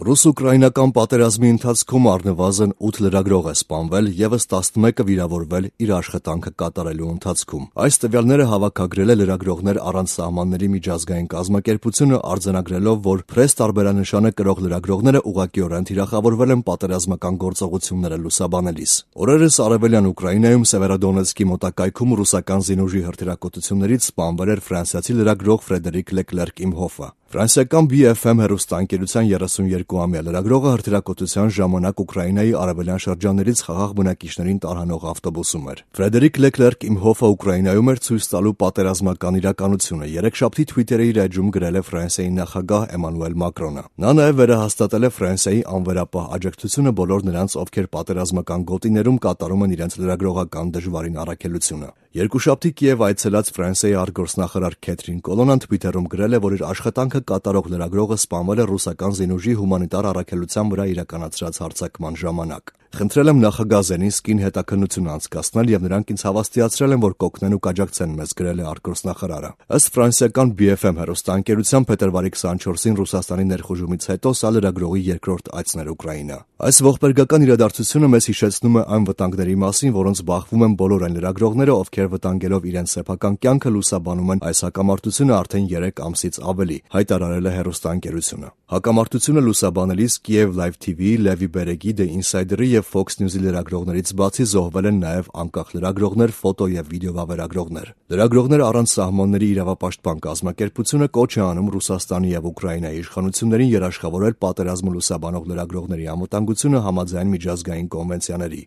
Ռուս-ուկրաինական պատերազմի ընթացքում առնվազն 8 լրագրող է սպանվել, ևս 11-ը վիրավորվել իր աշխատանքը կատարելու ընթացքում։ Այս տվյալները հավաքագրել է Լրագրողներ առանց սահմանների միջազգային կազմակերպությունը, արձանագրելով, որ փրես տարբերանշանը կրող լրագրողները ուղղակիորեն թիրախավորվել են պատերազմական գործողությունները լուսաբանելիս։ Օրերս արևելյան Ուկրաինայում Սևերոդոնեցկի մոտակայքում ռուսական զինուժի հրթիռակոծություններից սպանվել էր ֆրանսիացի լրագրող Ֆրեդերիկ Լեկլերկ Իմհոֆը։ Ֆրանսիական BFM հեռուստաընկերության 32-ամյա լրագրողը հրթիռակոծության ժամանակ Ուկրաինայի արևելյան շրջաններից խաղաղ բնակիչներին տարհանող ավտոբուսում էր։ Ֆրեդերիկ Լեկլերկ Իմհոֆը Ուկրաինայում էր ցույց տալու պատերազմական իրականությունը։ Երեքշաբթի Թվիթերի իր էջում գրել է Ֆրանսիայի նախագահ Էմանուել Մակրոնը։ Նա նաև վերահաստատել է Ֆրանսիայի անվերապահ աջակցությունը բոլոր նրանց, ովքեր պատերազմական գոտիներում կատարում են իրենց լրագրողական դժվարին առաքելությունը։ Երկուշաբթի Կիև այցելած Ֆրանսիայի արտգործնախարար Քեթրին Կոլոնան Թվիթերում գրել է, որ իր աշխատանքը կատարող լրագրողը սպանվել է ռուսական զինուժի հումանիտար առաքելության վրա իրականացրած հարձակման ժամանակ։ Խնդրել եմ նախագահ Զելենսկին հետաքննություն անցկացնել եւ նրանք ինձ հավաստիացրել են, որ կօգնեն ու կաջակցեն մեզ, գրել է արտգործնախարարը։ Ըստ ֆրանսիական BFM հեռուստաընկերության փետրվարի 24-ին Ռուսաստանի ներխուժումից հետո սա լրագրողի երկրորդ այցն էր Ուկրաինա։ Այս ողբերգական իրադարձությունը մեզ հիշեցնում է այն վտանգների մասին, որոնց բախվում են բոլոր այն լրագրողները, ովքեր վտանգելով իրենց սեփական կյանքը լուսաբանում են այս հակամարտությունը արդեն 3 ամսից ավելի, հայտարարել է հեռուստաընկերությունը։ Հակամարտությունը լուսաբանելիս Kiev Live TV, Լևի Բերեգի, The Insider-ի եւ Fox News-ի լրագրողներից բացի զոհվել են նաեւ անկախ լրագրողներ, ֆոտո եւ վիդեո վավերագրողներ։ Լրագրողներ առանց սահմանների իրավապաշտպան կազմակերպությունը կոչ է անում Ռուսաստանի եւ Ուկրաինայի իշխանություններին երաշխավորել պատերազմը լուսաբանող լրագրողների անվտանգությունը համաձայն միջազգային կոնվենցիաների։